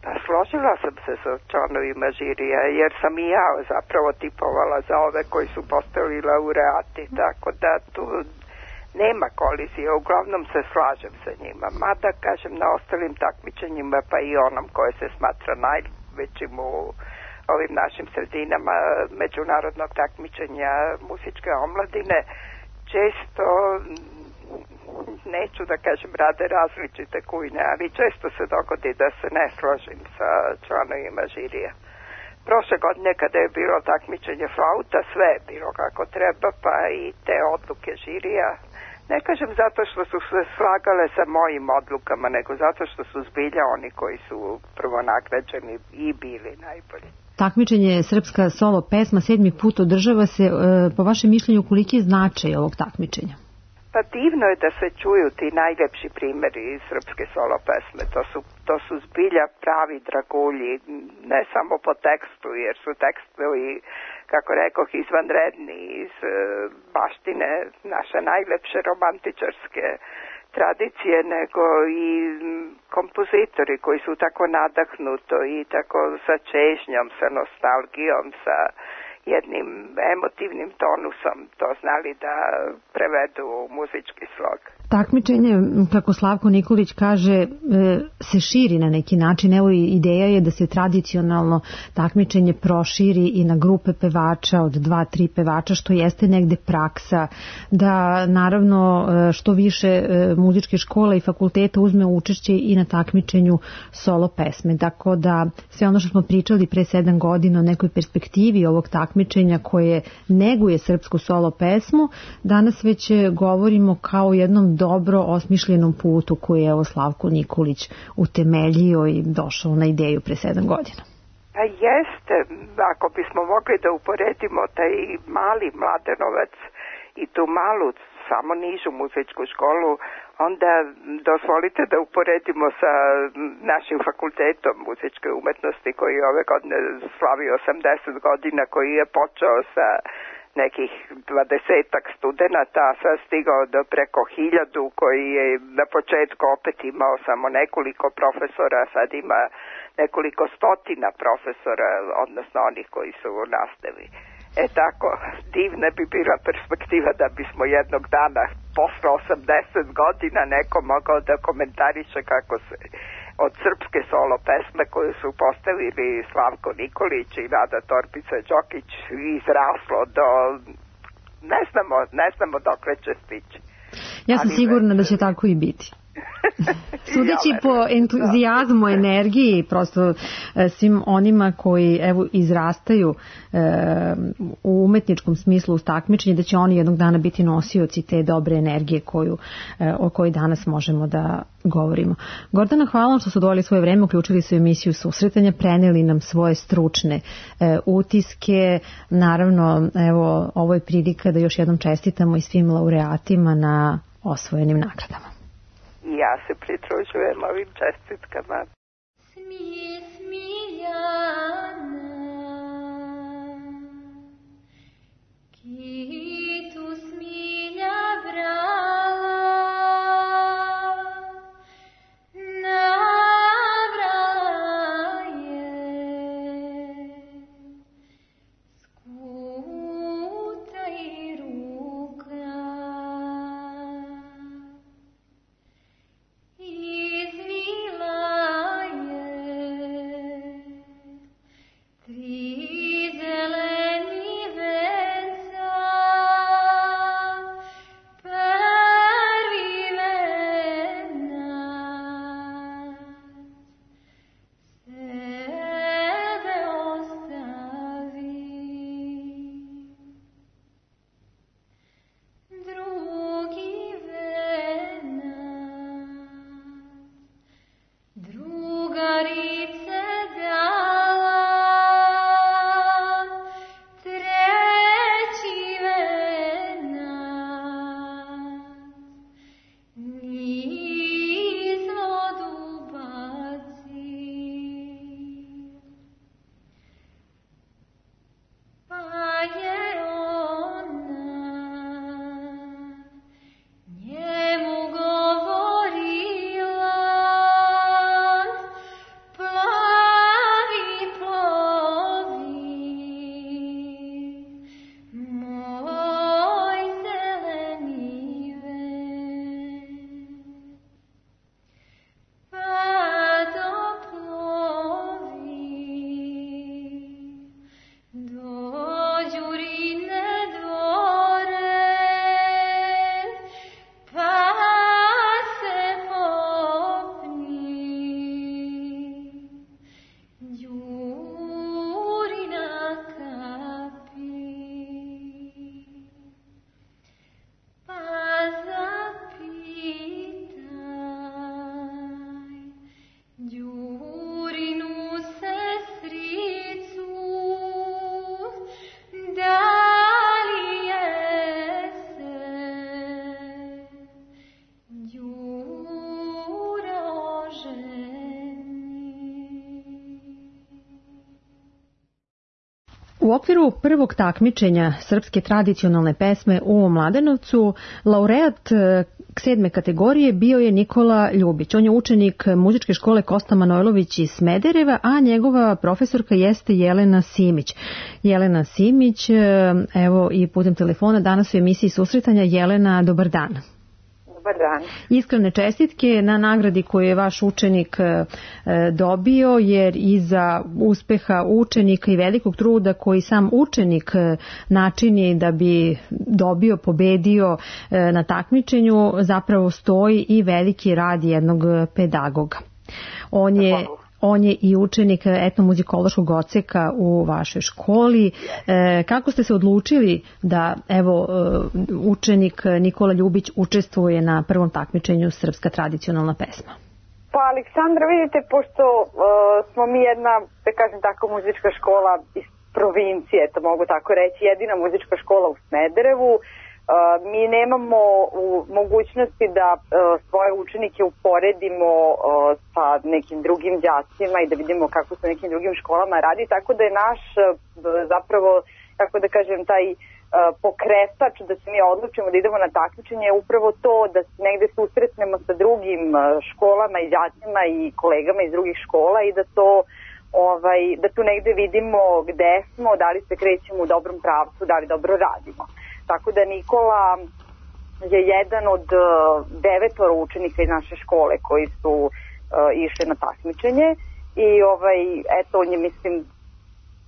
Pa složila sam se sa članovima žirija, jer sam i ja zapravo tipovala za ove koji su postali laureati, tako da tu nema kolizije, uglavnom se slažem sa njima. Mada, kažem, na ostalim takmičenjima, pa i onom koje se smatra najvećim u ovim našim sredinama međunarodnog takmičenja muzičke omladine, često, neću da kažem rade različite kujne, ali često se dogodi da se ne složim sa članovima žirija. Prošle godine kada je bilo takmičenje flauta, sve je bilo kako treba, pa i te odluke žirija Ne kažem zato što su se slagale sa mojim odlukama, nego zato što su zbilja oni koji su prvo nagrađeni i bili najbolji. Takmičenje Srpska solo pesma 7. put održava se, po vašem mišljenju, koliki je značaj ovog takmičenja? Pa divno je da se čuju ti najljepši primjeri iz srpske solo pesme. To su zbilja pravi dragulji, ne samo po tekstu, jer su tekstovi, kako rekoh, izvanredni iz baštine naše najlepše romantičarske tradicije, nego i kompozitori koji su tako nadahnuto i tako sa čežnjom, sa nostalgijom, sa jednim emotivnim tonusom to znali da prevedu u muzički slog. Takmičenje, kako Slavko Nikolić kaže, se širi na neki način. Evo i ideja je da se tradicionalno takmičenje proširi i na grupe pevača od 2-3 pevača, što jeste negde praksa, da naravno što više muzičke škole i fakulteta uzme učešće i na takmičenju solo pesme. Tako da sve ono što smo pričali pre 7 godina o nekoj perspektivi ovog takmičenja koje neguje srpsku solo pesmu, danas već govorimo kao jednom dobro osmišljenom putu koji je Slavko Nikolić utemeljio i došao na ideju pre 7 godina. A jeste, ako bismo mogli da uporedimo taj mali Mladenovac i tu malu, samo nižu muzičku školu, onda dozvolite da uporedimo sa našim fakultetom muzičke umetnosti koji je ove godine slavi 80 godina, koji je počeo sa nekih 20-ak studenata, a sad stigao do preko 1000, koji je na početku opet imao samo nekoliko profesora, sad ima nekoliko stotina profesora, odnosno onih koji su u nastavi. Tako, divna bi bila perspektiva da bismo jednog dana, posle 80 godina, neko mogao da komentariše kako se od srpske solo pesme koju su postavili Slavko Nikolić i Nada Torbica Đokić izraslo do, ne znamo dokle će stići. Ja sam sigurna da će tako i biti. Sudeći po entuzijazmu, energiji, prosto svim onima koji izrastaju u umetničkom smislu uz takmičenje, da će oni jednog dana biti nosioci te dobre energije o kojoj danas možemo da govorimo. Gordana, hvala vam što su doveli svoje vreme, uključili su emisiju Susretanja, preneli nam svoje stručne utiske. Naravno, evo, ovo je prilika da još jednom čestitamo i svim laureatima na osvojenim nagradama. Ja se pridružujem ovim čestitkama. Izvila je U okviru prvog takmičenja srpske tradicionalne pesme u Mladenovcu, laureat 7. kategorije bio je Nikola Ljubić. On je učenik muzičke škole Kosta Manojlović iz Smedereva, a njegova profesorka jeste Jelena Simić. Jelena Simić, evo i putem telefona danas u emisiji Susretanja. Jelena, dobar dan. Dobar dan. Iskrene čestitke na nagradi koju je vaš učenik dobio, jer iza uspeha učenika i velikog truda koji sam učenik načini da bi dobio, pobedio na takmičenju, zapravo stoji i veliki rad jednog pedagoga. On je i učenik etnomuzikološkog odseka u vašoj školi. Kako ste se odlučili da učenik Nikola Ljubić učestvuje na prvom takmičenju Srpska tradicionalna pesma? Pa Aleksandra, vidite, pošto smo mi jedna, da kažem tako, muzička škola iz provincije, to mogu tako reći, jedina muzička škola u Smederevu, mi nemamo mogućnosti da svoje učenike uporedimo sa nekim drugim đacima i da vidimo kako se nekim drugim školama radi, tako da je naš zapravo, kako da kažem, taj pokretač da se mi odlučimo da idemo na takmičenje je upravo to da se negde susretnemo sa drugim školama i đacima i kolegama iz drugih škola i da tu negde vidimo gde smo, da li se krećemo u dobrom pravcu, da li dobro radimo. Tako da Nikola je jedan od 9 učenika iz naše škole koji su išli na takmičenje i on je, mislim,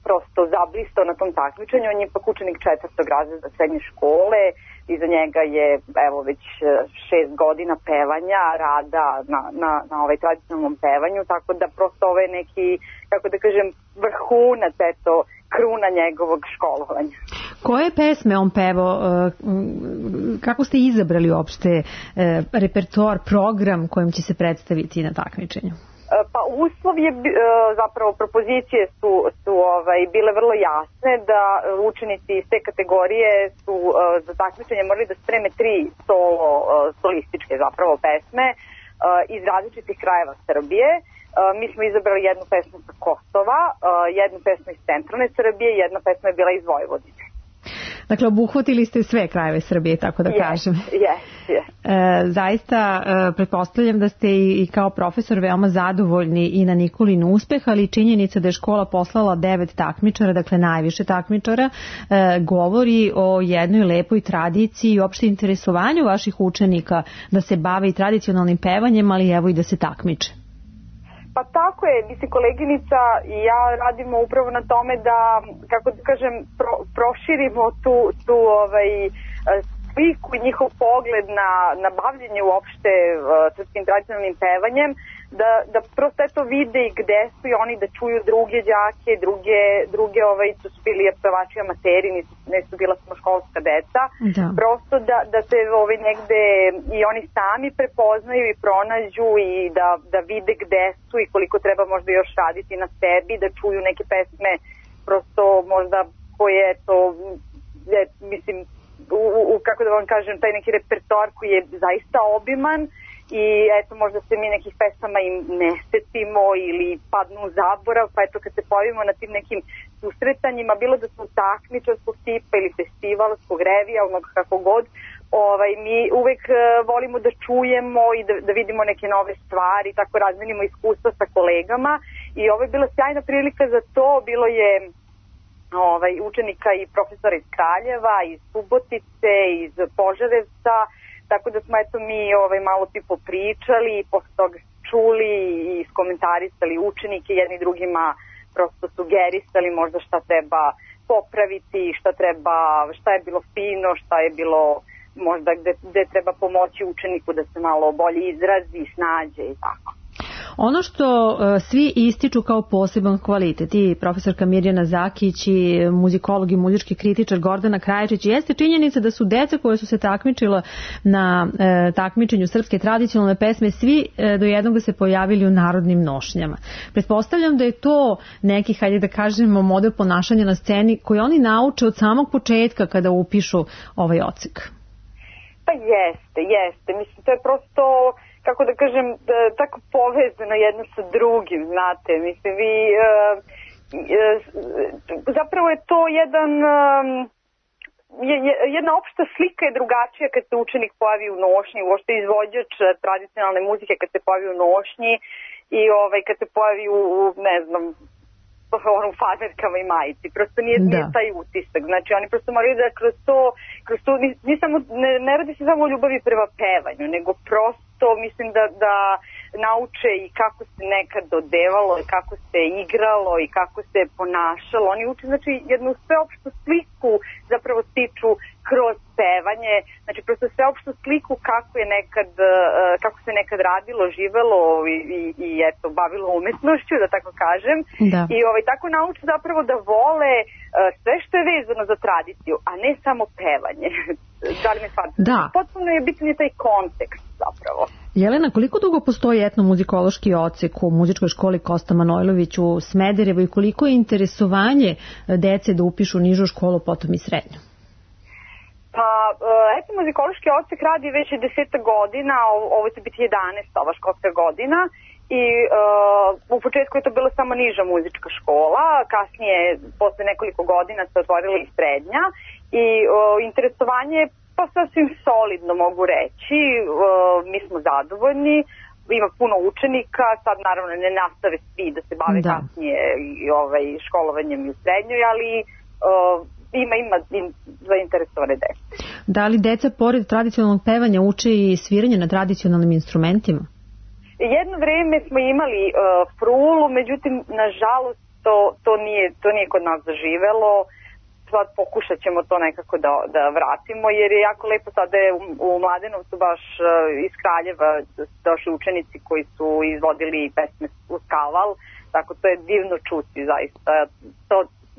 prosto zablistao na tom takmičenju. On je ipak učenik 4. razreda srednje škole, iza njega je već 6 godina pevanja, rada na tradicionalnom pevanju, tako da prosto ovo je neki, kako da kažem, vrhunac, kruna njegovog školovanja. Koje pesme on pevao? Kako ste izabrali uopšte repertoar, program kojim će se predstaviti na takmičenju? Pa uslov je, zapravo propozicije su bile vrlo jasne da učenici iz te kategorije su za takmičenje morali da spreme 3 solističke zapravo pesme iz različitih krajeva Srbije. Mi smo izabrali jednu pesmu sa Kosova, jednu pesmu iz centralne Srbije i jedna pesma je bila iz Vojvodine. Dakle, obuhvatili ste sve krajeve Srbije, tako da kažem. Zaista, pretpostavljam da ste i kao profesor veoma zadovoljni i na Nikolin uspeh, ali činjenica da je škola poslala 9 takmičara, dakle najviše takmičara, govori o jednoj lepoj tradiciji i opšte interesovanju vaših učenika da se bave i tradicionalnim pevanjem, ali evo i da se takmiče. Pa tako je, mislim, koleginica i ja radimo upravo na tome da, kako da kažem, proširimo tu sliku i njihov pogled na bavljenje uopšte srpskim tradicionalnim pevanjem, da prosto vide i gde su i oni, da čuju druge đake, druge su bili pevači amateri, nisu bila samo školska deca, prosto da se negde i oni sami prepoznaju i pronađu i da vide gde su i koliko treba možda još raditi na sebi, da čuju neke pesme prosto možda koje mislim, kako da vam kažem, taj neki repertoar koji je zaista obiman i možda se mi nekih pesama im ne setimo ili padnu u zaborav, pa kad se pojavimo na tim nekim susretanjima, bilo da su takmičarskog tipa ili festivalskog revija, kako god, mi uvek volimo da čujemo i da vidimo neke nove stvari, tako razmenimo iskustva sa kolegama i ovo je bila sjajna prilika za to. Bilo je učenika i profesora iz Kraljeva, iz Subotice, iz Požarevca, tako da smo mi malo popričali i posle toga čuli i iskomentarisali učenike, jedni drugima prosto sugerisali možda šta treba popraviti, šta je bilo fino, šta je bilo možda gde treba pomoći učeniku da se malo bolje izrazi, snađe i tako. Ono što svi ističu kao poseban kvalitet, i profesorka Mirjana Zakić i muzikolog i muzički kritičar Gordana Krajičić, jeste činjenica da su deca koja su se takmičila na takmičenju srpske tradicionalne pesme svi do jednog se pojavili u narodnim nošnjama. Pretpostavljam da je to neki, hajde da kažemo, model ponašanja na sceni koji oni nauče od samog početka kada upišu ovaj odsek. Pa jeste. Mislim, to je prosto, kako da kažem, tako povezano jedno sa drugim, znate. Mislim, zapravo je to jedna opšta slika je drugačija kad se učenik pojavi u nošnji, uopšte izvođač tradicionalne muzike kad se pojavi u nošnji i kad se pojavi u ne znam, u faderkama i majici. Prosto nije taj utisak. Znači, oni prosto moraju da kroz to ne radi se samo o ljubavi prema pevanju, nego prosto mislim da nauče i kako se nekad dodevalo i kako se igralo i kako se ponašalo. Oni uče, znači, jednu sveopštu sliku zapravo stiču kroz pevanje, znači prosto sveopštu sliku kako se nekad radilo, živelo i eto, bavilo umetnošću, da tako kažem. Da. I tako nauče zapravo da vole sve što je vezano za tradiciju, a ne samo pevanje. Da li me shvatite? Da. Potpuno je bitan je taj kontekst zapravo. Jelena, koliko dugo postoji etnomuzikološki odsek u muzičkoj školi Kosta Manojlović u Smederevu i koliko je interesovanje dece da upišu nižu školu, potom i srednju? Pa, etnomuzikološki odsek radi već 10 godina, ovo će biti 11. ova školska godina i u početku je to bila samo niža muzička škola, kasnije, posle nekoliko godina se otvorila i srednja i interesovanje je pa sasvim solidno, mogu reći, mi smo zadovoljni, ima puno učenika, sad naravno ne nastave svi da se bave kasnije školovanjem i u srednjoj, ali ima zainteresovane dece. Da li deca pored tradicionalnog pevanja uče i sviranje na tradicionalnim instrumentima? Jedno vreme smo imali frulu, međutim, nažalost, to nije kod nas zaživelo. Sad pokušat ćemo to nekako da vratimo, jer je jako lepo sada je u Mladenovcu baš iz Kraljeva došli učenici koji su izvodili pesme uz kaval, tako to je divno čuti zaista. To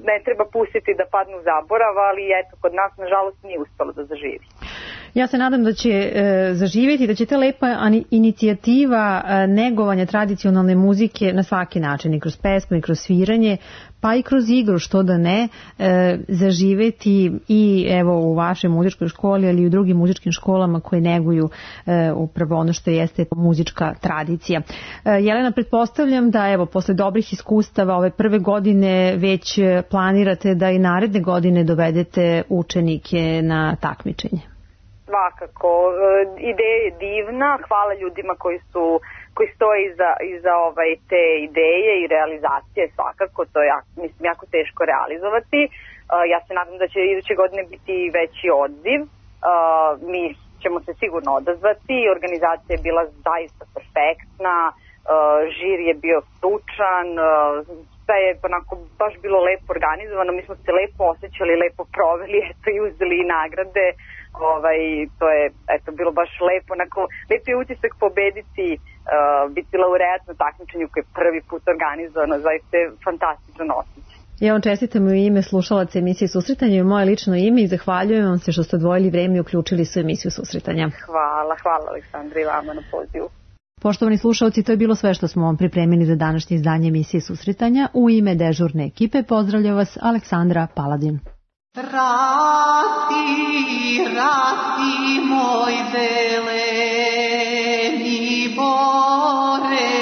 ne treba pustiti da padnu u zaborav, ali eto, kod nas nažalost nije uspelo da zaživi. Ja se nadam da će zaživjeti, da će ta lepa inicijativa negovanja tradicionalne muzike na svaki način, i kroz pesmu, i kroz sviranje, pa i kroz igru, što da ne, zaživjeti i evo u vašoj muzičkoj školi, ali i u drugim muzičkim školama koje neguju upravo ono što jeste muzička tradicija. Jelena, pretpostavljam da evo posle dobrih iskustava ove prve godine već planirate da i naredne godine dovedete učenike na takmičenje. Svakako, ideja je divna, hvala ljudima koji stoje iza te ideje i realizacije, svakako, to je jako teško realizovati. Ja se nadam da će iduće godine biti veći odziv, mi ćemo se sigurno odazvati, organizacija je bila zaista perfektna, žir je bio stručan, sve je onako baš bilo lepo organizovano, mi smo se lepo osjećali, lepo proveli, eto i uzeli i nagrade. To je bilo baš lepo, onako lepo je utisak pobediti, biti laureat na takmičenju koji je prvi put organizovano, zaista je fantastičan osjećaj. Ja vam čestitam u ime slušalaca emisije Susretanja i moje lično ime i zahvaljujem vam se što ste odvojili vreme i uključili su emisiju Susretanja. Hvala Aleksandra i vama na pozivu. Poštovani slušalci, to je bilo sve što smo vam pripremili za današnje izdanje emisije Susretanja. U ime dežurne ekipe pozdravlja vas Aleksandra Paladin. Rati moj zeleni bore,